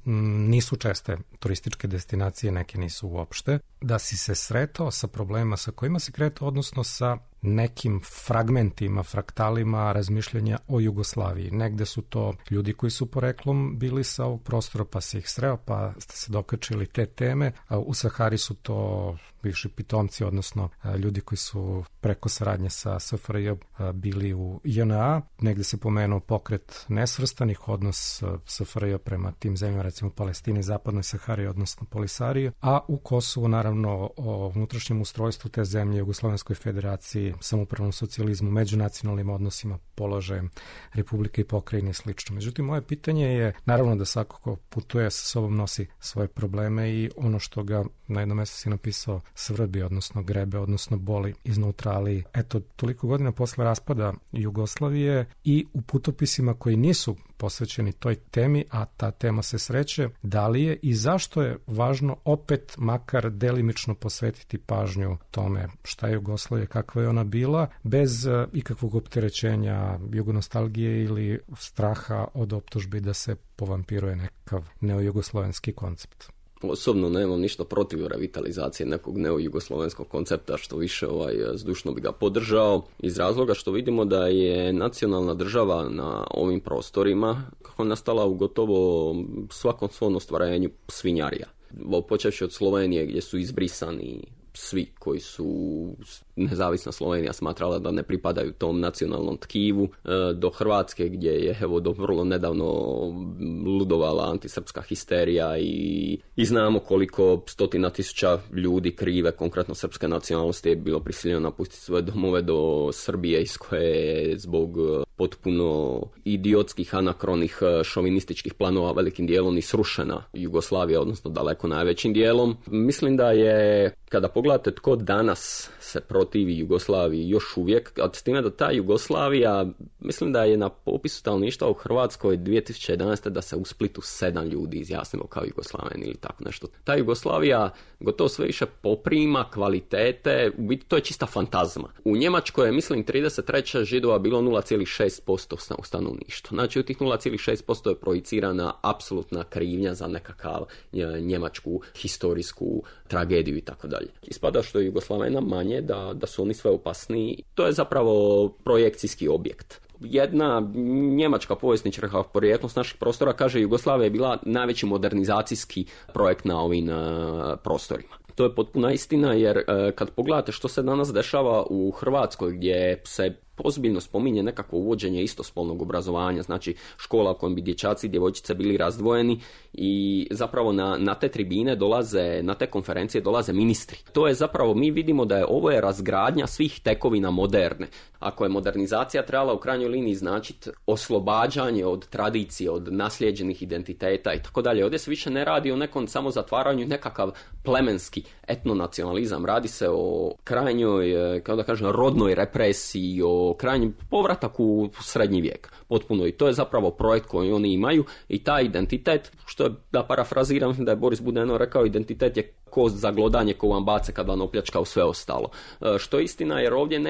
nisu česte turističke destinacije, neke nisu uopšte, da si se sretao sa problema sa kojima si kretao, odnosno sa nekim fragmentima, fraktalima razmišljanja o Jugoslaviji. Negde su to ljudi koji su poreklom bili sa ovog prostora pa se ih sreo, pa ste se dokačili te teme. U Sahari su to bivši pitomci, odnosno ljudi koji su preko saradnje sa SFRJ bili u JNA. Negde se pomenuo pokret nesvrstanih, odnos SFRJ prema tim zemljama, recimo Palestini, Zapadnoj Sahari, odnosno Polisariji, a u Kosovu naravno o unutrašnjem ustrojstvu te zemlje, Jugoslovenskoj federaciji, samoupravnom socijalizmu, međunacionalnim odnosima, položajem Republike i pokrajine i slično. Međutim, moje pitanje je, naravno da svako ko putuje sa sobom nosi svoje probleme i ono što ga na jednom mjestu si napisao svrbi, odnosno grebe, odnosno boli iznutra, ali eto, toliko godina posle raspada Jugoslavije i u putopisima koji nisu posvećeni toj temi, a ta tema se sreće, da li je i zašto je važno opet makar delimično posvetiti pažnju tome šta je Jugoslavija, kakva je ona bila, bez ikakvog opterećenja jugonostalgije ili straha od optužbi da se povampiruje nekakav neojugoslovenski koncept. Osobno nemam ništa protiv revitalizacije nekog neojugoslovenskog koncepta, što više zdušno bi ga podržao, iz razloga što vidimo da je nacionalna država na ovim prostorima kako nastala u gotovo svakom svom ostvarenju svinjarija. Počevši od Slovenije gdje su izbrisani svi koji su nezavisna Slovenija smatrala da ne pripadaju tom nacionalnom tkivu, do Hrvatske gdje je evo do vrlo nedavno ludovala antisrpska histerija i znamo koliko stotina tisuća ljudi krive, konkretno srpske nacionalnosti, je bilo prisiljeno napustiti svoje domove do Srbije, iz koje je zbog potpuno idiotskih, anakronih, šovinističkih planova velikim dijelom i srušena Jugoslavija, odnosno daleko najvećim dijelom. Mislim da je, kada pogledate tko danas se protivi Jugoslaviji još uvijek, a s time da ta Jugoslavija, mislim da je na popisu stanovništva u Hrvatskoj 2011. da se u Splitu 7 ljudi izjasnilo kao Jugoslaveni ili tako nešto. Ta Jugoslavija gotovo sve više poprima kvalitete, u biti to je čista fantazma. U Njemačkoj je, mislim, 33. Židova bilo 0,6% u stanovništvu. Znači u tih 0,6% je projicirana apsolutna krivnja za nekakav njemačku historijsku tragediju i tako dalje. Ispada što je Jugoslavena manje, da su oni sve opasniji. To je zapravo projekcijski objekt. Jedna njemačka povjesničarka porijeklom s naših prostora kaže Jugoslavija je bila najveći modernizacijski projekt na ovim prostorima. To je potpuna istina, jer kad pogledate što se danas dešava u Hrvatskoj, gdje se ozbiljno spominje nekako uvođenje istospolnog obrazovanja, znači škola u kojem bi dječaci i djevojčice bili razdvojeni i zapravo na te tribine dolaze, na te konferencije dolaze ministri. To je zapravo, mi vidimo da je ovo je razgradnja svih tekovina moderne. Ako je modernizacija trebala u krajnjoj liniji značiti oslobađanje od tradicije, od naslijeđenih identiteta i tako dalje, ovdje se više ne radi o nekom samo zatvaranju, nekakav plemenski etnonacionalizam. Radi se o krajnjoj, kao da kažem, rodnoj represiji, o krajnjem povratak u srednji vijek. Potpuno. I to je zapravo projekt koji oni imaju i taj identitet, što je, da parafraziram, da je Boris Budeno rekao, identitet je kost za glodanje koju vam bace kad vam opljačkao sve ostalo. Što je istina, jer ovdje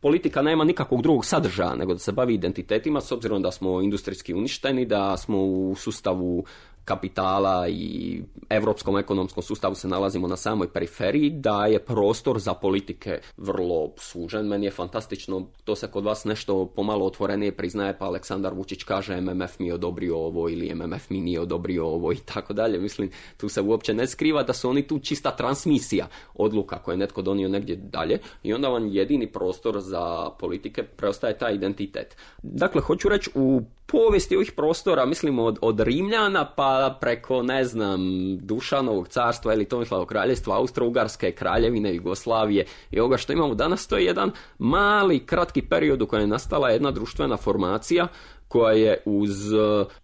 politika nema nikakvog drugog sadržaja nego da se bavi identitetima, s obzirom da smo industrijski uništeni, da smo u sustavu kapitala i europskom ekonomskom sustavu se nalazimo na samoj periferiji, da je prostor za politike vrlo sužen. Meni je fantastično, to se kod vas nešto pomalo otvorenije priznaje, pa Aleksandar Vučić kaže MMF mi je odobrio ovo ili MMF mi nije odobrio ovo i tako dalje. Mislim, tu se uopće ne skriva da su oni tu čista transmisija odluka koje je netko donio negdje dalje i onda vam jedini prostor za politike preostaje taj identitet. Dakle, hoću reći, u povijesti ovih prostora, mislim od Rimljana pa preko, ne znam, Dušanovog carstva ili Tomislavog kraljevstva, Austro-Ugarske, Kraljevine, Jugoslavije i ovoga što imamo danas, to je jedan mali, kratki period u kojem je nastala jedna društvena formacija koja je uz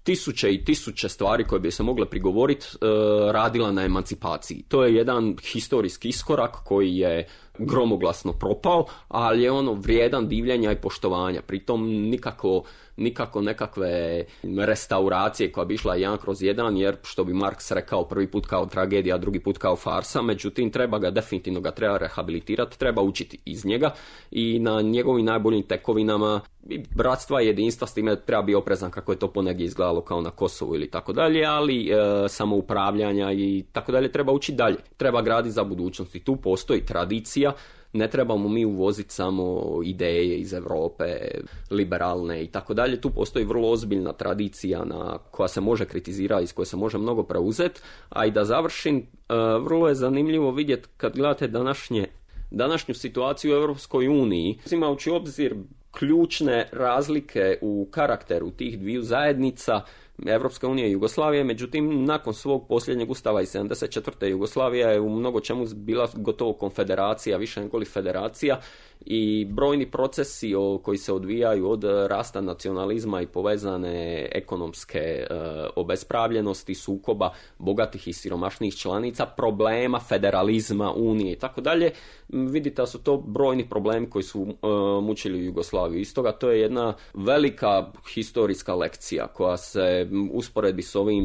tisuće i tisuće stvari koje bi se mogle prigovoriti radila na emancipaciji. To je jedan historijski iskorak koji je gromoglasno propao, ali je ono vrijedan divljenja i poštovanja. Pritom nikako nekakve restauracije koja bi išla 1/1, jer što bi Marks rekao, prvi put kao tragedija, drugi put kao farsa, međutim definitivno ga treba rehabilitirati, treba učiti iz njega i na njegovim najboljim tekovinama bratstva i jedinstva, s time treba biti oprezan kako je to ponegdje izgledalo kao na Kosovu ili tako dalje, ali samoupravljanja i tako dalje treba učiti dalje. Treba graditi za budućnost i tu postoji tradicija. Ne trebamo mi uvoziti samo ideje iz Europe, liberalne i tako dalje. Tu postoji vrlo ozbiljna tradicija koja se može kritizirati, iz koje se može mnogo preuzeti. A i da završim, vrlo je zanimljivo vidjeti kad gledate današnju situaciju u Europskoj uniji, uzimajući u obzir ključne razlike u karakteru tih dviju zajednica, Evropska unija i Jugoslavije, međutim, nakon svog posljednjeg ustava iz 74. Jugoslavija je u mnogo čemu bila gotovo konfederacija, više nego li federacija, i brojni procesi koji se odvijaju od rasta nacionalizma i povezane ekonomske obespravljenosti, sukoba bogatih i siromašnih članica, problema federalizma, unije i tako dalje, vidite da su to brojni problemi koji su mučili Jugoslaviju. Iz toga to je jedna velika historijska lekcija koja se usporedbi s ovim,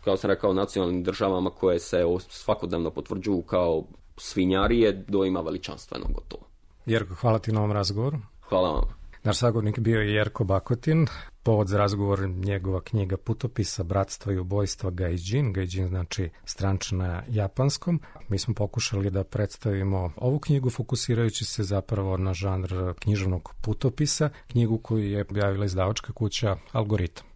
kao sam rekao, nacionalnim državama koje se svakodnevno potvrđuju kao svinjarije, doima veličanstveno gotovo. Jerko, hvala ti na ovom razgovoru. Hvala vam. Naš sagovornik bio je Jerko Bakotin. Povod za razgovor njegova knjiga Putopisa, bratstva i ubojstva Gaijin. Gaijin znači stranč na japanskom. Mi smo pokušali da predstavimo ovu knjigu fokusirajući se zapravo na žanr književnog putopisa, knjigu koju je objavila izdavačka kuća Algoritam.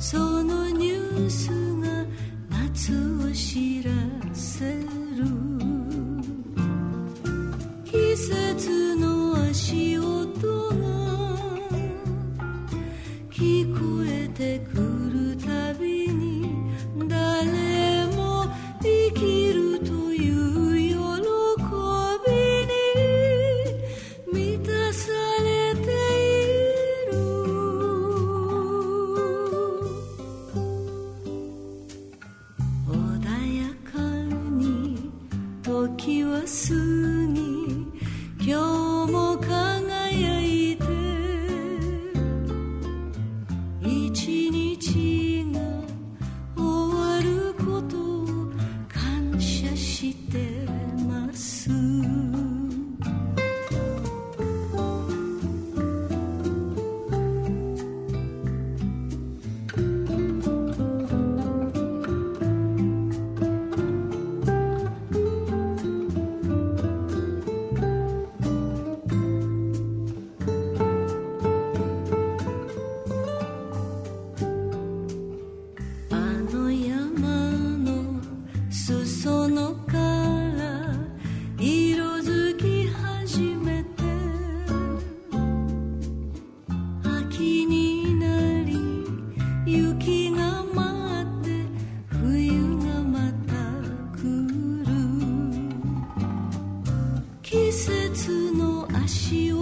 So no new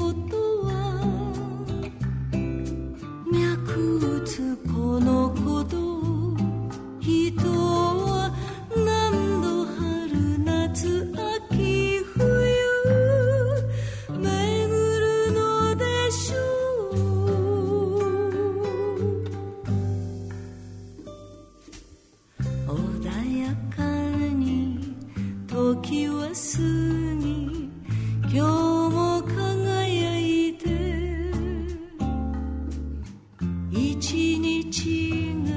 ことは脈打つこのことを人は何度春夏秋冬巡るのでしょう。穏やかに時は過ぎ今日も輝いて一日が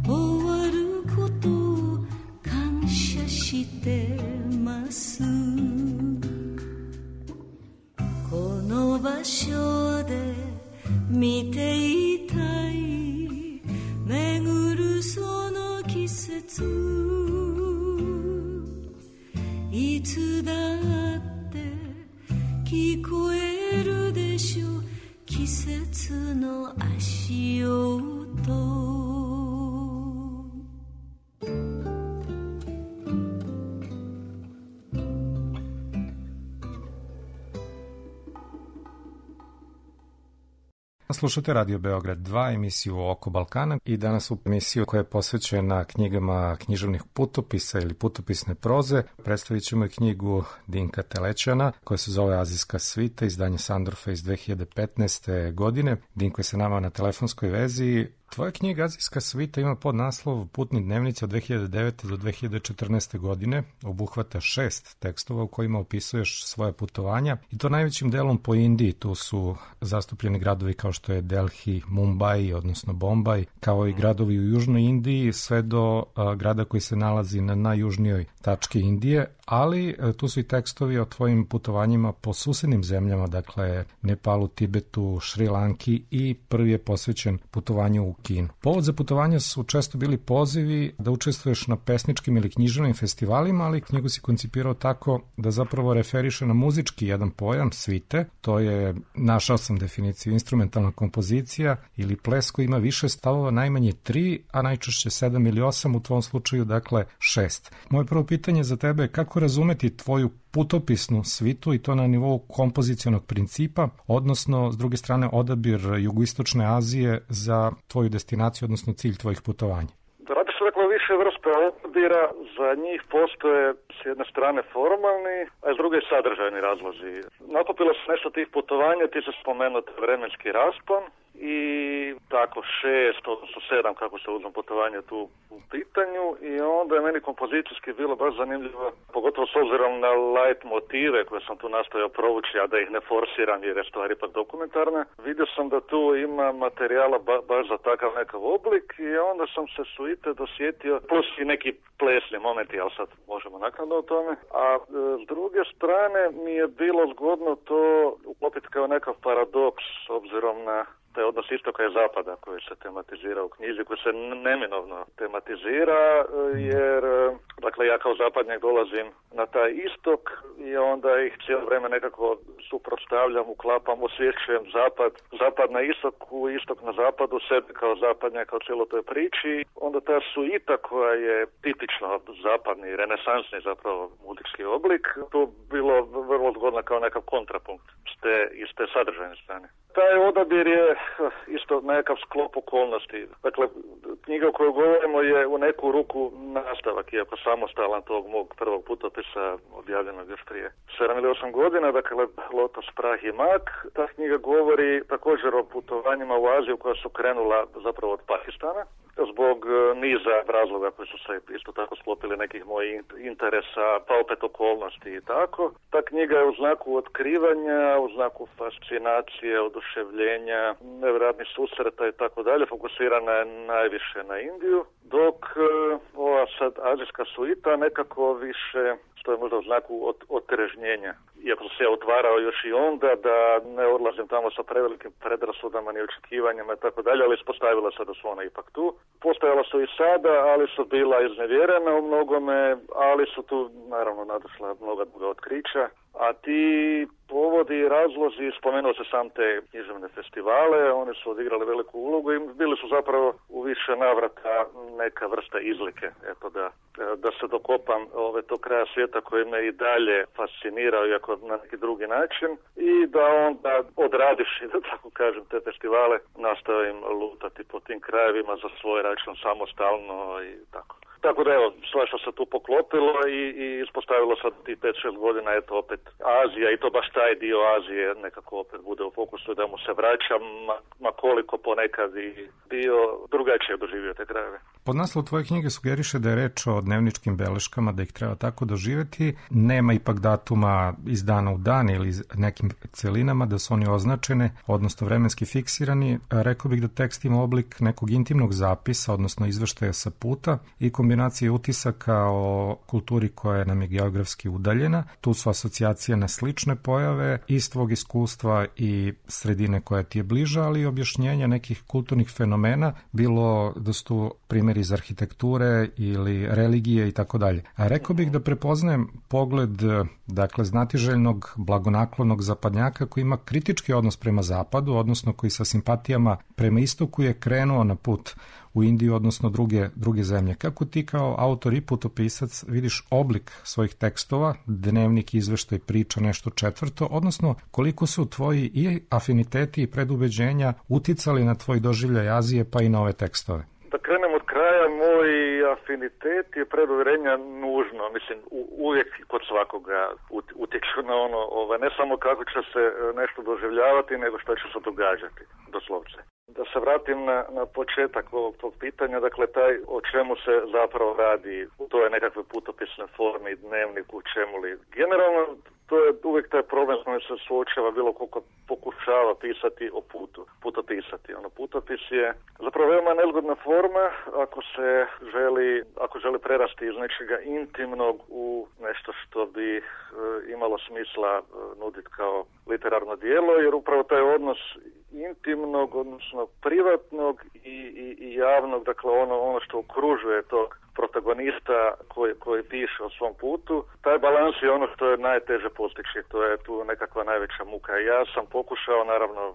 終わることを感謝してます。この場所で見ていたい巡るその季節いつだって聞こえるでしょう季節の足音。Slušate Radio Beograd 2, emisiju Oko Balkana i danas u emisiju koja je posvećena knjigama književnih putopisa ili putopisne proze. Predstavit ćemo i knjigu Dinka Telećana koja se zove Azijska svita, izdanje Sandorfa iz 2015. godine. Dinko je sa nama na telefonskoj vezi. Tvoja knjiga Azijska svita ima podnaslov Putni dnevnici od 2009. do 2014. godine. Obuhvata 6 tekstova u kojima opisuješ svoje putovanja i to najvećim delom po Indiji. Tu su zastupljeni gradovi kao što je Delhi, Mumbai, odnosno Bombaj, kao i gradovi u Južnoj Indiji, sve do grada koji se nalazi na najjužnijoj tački Indije, ali tu su i tekstovi o tvojim putovanjima po susednim zemljama, dakle Nepalu, Tibetu, Šri Lanki i prvi je posvećen putovanju u Kinu. Povod za putovanja su često bili pozivi da učestvuješ na pesničkim ili književnim festivalima, ali knjigu si koncipirao tako da zapravo referiše na muzički jedan pojam, svite. To je, našao sam definiciju, instrumentalna kompozicija ili ples koji ima više stavova, najmanje 3, a najčešće 7 ili 8, u tvom slučaju dakle 6. Moje prvo pitanje za tebe je kako razumeti tvoju putopisnu svitu i to na nivou kompozicionog principa, odnosno s druge strane odabir jugoistočne Azije za tvoju destinaciju, odnosno cilj tvojih putovanja. Radi se dakle više vrste odabira, za njih postoje s jedne strane formalni, a s druge sadržajni razlozi. Nakupilo se nešto tih putovanja, ti se spomenuti vremenski raspon i tako 6, odnosno 7 kako se uzme putovanje tu u pitanju i onda je meni kompozicijski bilo baš zanimljivo, pogotovo s obzirom na light motive koje sam tu nastojao provući, a da ih ne forsiram jer je stvar ipak dokumentarna. Vidio sam da tu ima materijala baš za takav nekav oblik i onda sam se suite dosjetio, plus i neki plesni momenti, ali sad možemo naknadno o tome. A s druge strane mi je bilo zgodno to uklopiti kao nekav paradoks s obzirom na taj odnos istoka i zapada koji se tematizira u knjizi, koji se neminovno tematizira, jer dakle ja kao zapadnjak dolazim na taj istok i onda ih cijelo vrijeme nekako suprotstavljam, uklapam, osvješćujem zapad na istok na zapadu, sebe kao zapadnjak kao cijelo toj priči. Onda ta suita koja je tipično zapadni, renesansni zapravo muzički oblik, tu bilo vrlo zgodno kao nekav kontrapunkt iz te sadržajne strane. Taj odabir je isto nekakav sklop okolnosti. Dakle, knjiga o kojoj govorimo je u neku ruku nastavak, iako samostalan tog mog prvog putopisa objavljenog još prije 7 ili 8 godina, dakle Lotos, prah i mak. Ta knjiga govori također o putovanjima u Aziju koja su krenula zapravo od Pakistana, zbog niza razloga koji su se isto tako sklopili nekih mojih interesa, pa opet okolnosti i tako. Ta knjiga je u znaku otkrivanja, u znaku fascinacije, oduševljenja, nevjerojatnih susreta i tako dalje, fokusirana je najviše na Indiju, dok ova sad azijska suita nekako više stoji možda u znaku otrežnjenja. Iako sam se ja otvarao još i onda da ne odlazim tamo sa prevelikim predrasudama ni očekivanjima i tako dalje, ali ispostavila se da su ona ipak tu. Postojala su i sada, ali su bila iznevjerena u mnogome, ali su tu naravno nadošla mnoga druga otkrića. A ti povodi i razlozi, spomenuo se sam te književne festivale, oni su odigrali veliku ulogu i bili su zapravo u više navrata neka vrsta izlike. Eto da se dokopam tog kraja svijeta koji me i dalje fascinirao, iako na neki drugi način, i da onda odradivši, da tako kažem, te festivale, nastavim lutati po tim krajevima za svoj račun samostalno i tako. Tako da evo, svašta se tu poklopilo i ispostavilo sad ti 5-6 godina, eto opet Azija i to baš taj dio Azije nekako opet bude u fokusu da mu se vraćam, ma koliko ponekad i bio drugačije doživio te krajeve. Podnaslov tvoje knjige sugeriše da je reč o dnevničkim beleškama, da ih treba tako doživjeti. Nema ipak datuma iz dana u dan ili nekim celinama, da su oni označene, odnosno vremenski fiksirani. Rekao bih da tekst ima oblik nekog intimnog zapisa, odnosno izveštaja sa puta i kombinacije utisaka o kulturi koja nam je geografski udaljena. Tu su asocijacije na slične pojave iz tvog iskustva i sredine koja ti je bliža, ali i objašnjenja nekih kulturnih fenomena, bilo da su tu primjeri iz arhitekture ili religije i tako dalje. A rekao bih da prepoznajem pogled, dakle, znatiželjnog, blagonaklonog zapadnjaka koji ima kritički odnos prema zapadu, odnosno koji sa simpatijama prema istoku je krenuo na put u Indiju, odnosno druge zemlje. Kako ti kao autor i putopisac vidiš oblik svojih tekstova, dnevnik, izveštaj, priča, nešto četvrto, odnosno koliko su tvoji i afiniteti i predubeđenja uticali na tvoj doživljaj Azije pa i na ove tekstove? Da krenem od kraja, moj afinitet i preduvjerenja nužno, mislim, uvijek kod svakoga utječu na ono, ne samo kako će se nešto doživljavati, nego što će se događati, doslovce. Da se vratim na početak ovog tog pitanja, dakle taj o čemu se zapravo radi, to je nekakve putopisne forme, dnevnik, u čemu li. Generalno, to je uvijek taj problem s kojim se suočava bilo koliko pokušava pisati o putopisati. Putopis je zapravo veoma nezgodna forma ako želi prerasti iz nečega intimnog u nešto što bi imalo smisla nuditi kao literarno djelo, jer upravo taj odnos intimnog, odnosno privatnog i javnog, dakle ono što okružuje tog protagonista koji piše o svom putu, taj balans je ono što je najteže postići, to je tu nekakva najveća muka. Ja sam pokušao, naravno,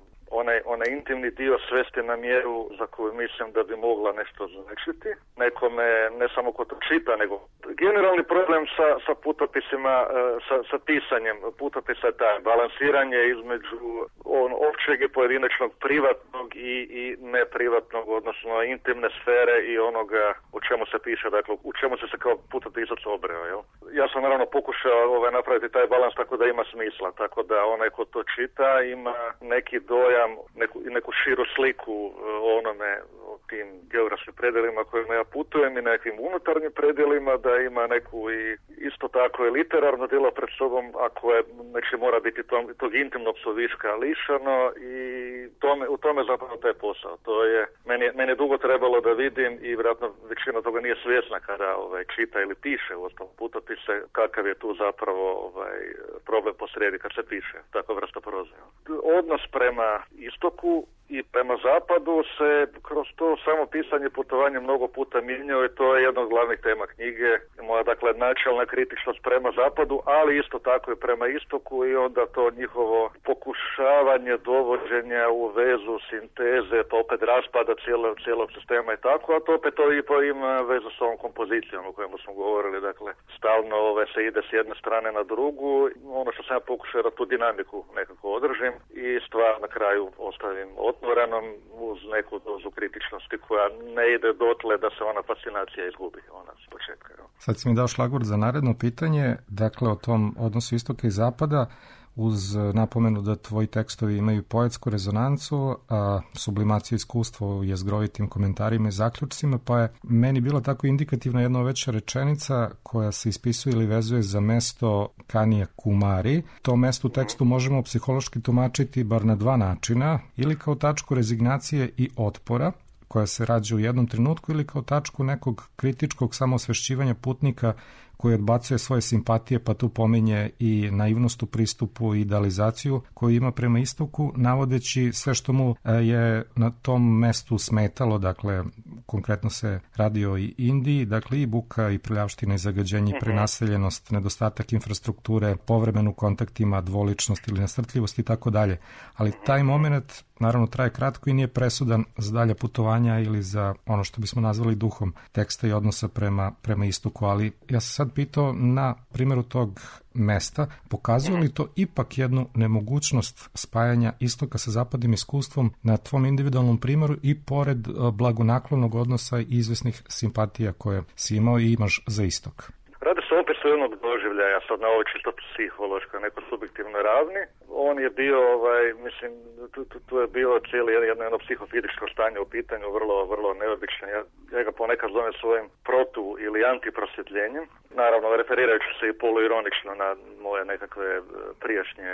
onaj intimni dio svesti na mjeru za koju mislim da bi mogla nešto značiti. Nekome, ne samo ko to čita, nego generalni problem sa putopisima, sa pisanjem putopisa je taj balansiranje između općeg i pojedinačnog, privatnog i neprivatnog, odnosno intimne sfere i onoga o čemu se piše, dakle u čemu se kao putopisac obreo. Jel? Ja sam naravno pokušao napraviti taj balans tako da ima smisla, tako da onaj ko to čita ima neki dojam, neku širu sliku o tim geografskim predjelima kojima ja putujem i nekim unutarnjim predjelima, da ima neku i isto tako i literarno djelo pred sobom, ako je, znači mora biti tog intimnog suviška lišano i u tome zapravo taj posao. To je, meni je dugo trebalo da vidim i vjerojatno većina toga nije svjesna kada čita ili piše u osnovu putopise, kakav je tu zapravo problem posrijedi kad se piše takva vrsta proze. Odnos prema istoku i prema zapadu se kroz to samo pisanje putovanje mnogo puta mijenjao i to je jedna od glavnih tema knjige. Moja, dakle, načelna kritičnost prema zapadu, ali isto tako i prema istoku i onda to njihovo pokušavanje dovođenja u vezu, sinteze, pa opet raspada cijelog sistema i tako, a to opet to ima vezu s ovom kompozicijom o kojemu smo govorili, dakle, stalno se ide s jedne strane na drugu, ono što sam ja pokušao da tu dinamiku nekako održim i stvar na kraju ostavim otvorenom uz neku dozu kritičnosti koja ne ide dotle da se ona fascinacija izgubi, ona s početka. Sad si mi dao šlagvort za naredno pitanje, dakle o tom odnosu istoka i zapada, uz napomenu da tvoji tekstovi imaju poetsku rezonancu, a sublimaciju iskustva u jezgrovitim komentarima i zaključcima, pa je meni bila tako indikativna jedna veća rečenica koja se ispisuje ili vezuje za mesto Kanija Kumari. To mesto u tekstu možemo psihološki tumačiti bar na dva načina, ili kao tačku rezignacije i otpora, koja se rađa u jednom trenutku, ili kao tačku nekog kritičkog samoosvešćivanja putnika koji odbacuje svoje simpatije, pa tu pominje i naivnost u pristupu i idealizaciju koju ima prema istoku, navodeći sve što mu je na tom mestu smetalo, dakle konkretno se radi o Indiji, dakle i buka i prljavština i zagađenje, i prenaseljenost, nedostatak infrastrukture, povremen u kontaktima, dvoličnost ili nasrtljivost i tako dalje. Ali taj moment naravno traje kratko i nije presudan za dalja putovanja ili za ono što bismo nazvali duhom teksta i odnosa prema istoku, ali ja sam sad pitao na primjeru tog mesta, pokazuje li to ipak jednu nemogućnost spajanja istoka sa zapadnim iskustvom na tvom individualnom primjeru i pored blagonaklonog odnosa i izvesnih simpatija koje si imao i imaš za istok? Radi se opet o jednog doživljaja, sad na ovoj čisto psihološkoj, neko subjektivnoj ravni. On je bio, mislim, tu je bio cijeli jedno psihofizičko stanje u pitanju, vrlo neobično. Ja ga ponekad zovem svojim protu- ili antiprosvjetljenjem. Naravno, referirajući se i poluironično na moje nekakve prijašnje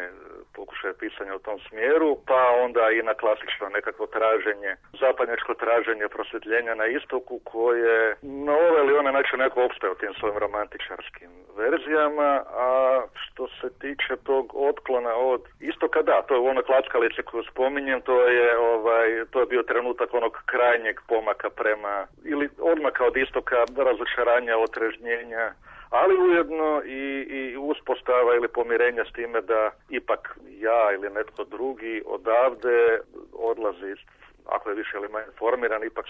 pokušaje pisanja u tom smjeru, pa onda i na klasično nekakvo traženje, zapadnjačko traženje prosvjetljenja na istoku koje na ovaj ili onaj način neko opstaje u tim svojim romantičarskim verzijama, a što se tiče tog otklona od istoka, da, to je u onoj klackalici koju spominjem, to je bio trenutak onog krajnjeg pomaka prema, ili odmaka od istoka, razočaranja, otrežnjenja, ali ujedno i uspostava ili pomirenja s time da ipak ja ili netko drugi odavde odlazi, ako je više ili manje formiran, ipak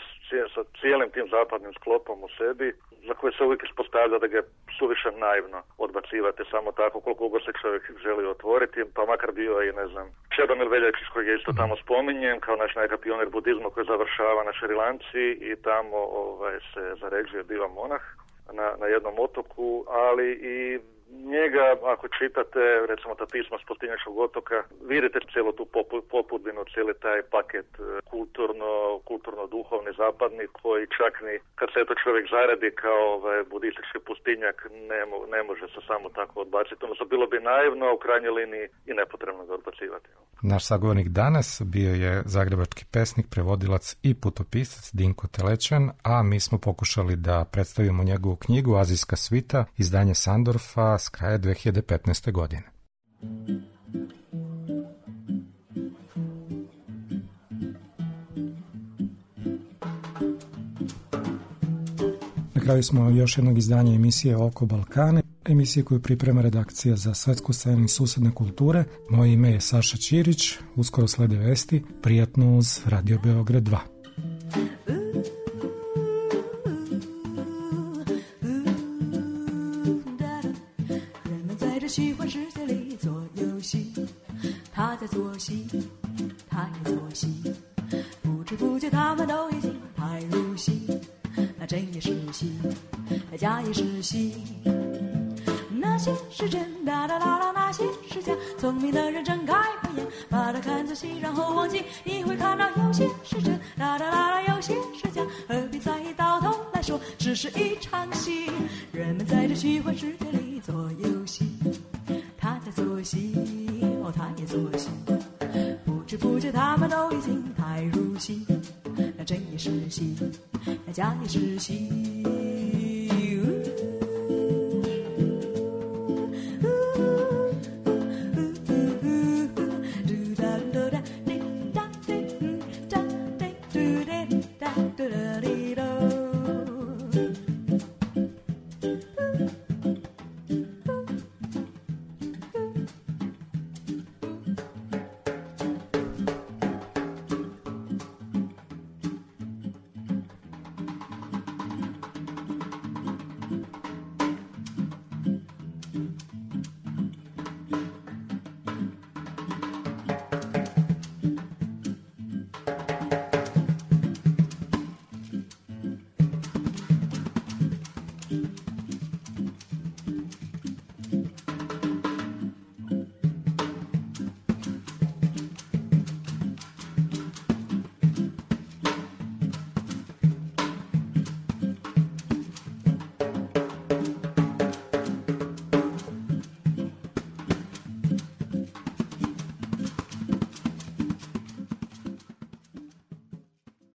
sa cijelim tim zapadnim sklopom u sebi, za koje se uvijek ispostavlja da ga je suviše naivno odbacivati samo tako koliko god se čovjek želi otvoriti, pa makar bio i, ne znam, Čedomir Veljačić koji je isto tamo spominjen kao naš nekakav pionir budizma koji završava na Šrilanci i tamo se zaređuje, biva monah na jednom otoku, ali i njega, ako čitate, recimo ta pisma s Pustinjačkog otoka, vidite cijelu tu popudbinu, cijeli taj paket kulturno-duhovni zapadni, koji čak ni kad se to čovjek zaradi kao budistički pustinjak, ne može se samo tako odbaciti. Odnosno, bilo bi naivno, u krajnjoj liniji i nepotrebno ga odbacivati. Naš sagovornik danas bio je zagrebački pesnik, prevodilac i putopisac Dinko Telećan, a mi smo pokušali da predstavimo njegovu knjigu Azijska svita, izdanje Sandorfa s kraja 2015. godine. Na kraju smo još jednog izdanja emisije Oko Balkana, emisije koju priprema redakcija za svetsku scenu i susedne kulture. Moje ime je Saša Ćirić, uskoro slede vesti, prijatno uz Radio Beograd 2.假也是戏，那些是真，哒哒啦啦，那些是假。聪明的人睁开慧眼，把它看仔细，然后忘记，你会看到有些是真，哒哒啦啦，有些是假。何必在意？到头来说，只是一场戏。人们在这虚幻世界里做游戏，他在做戏，哦，他也做戏。不知不觉，他们都已经太入戏。那真也是戏，那假也是戏。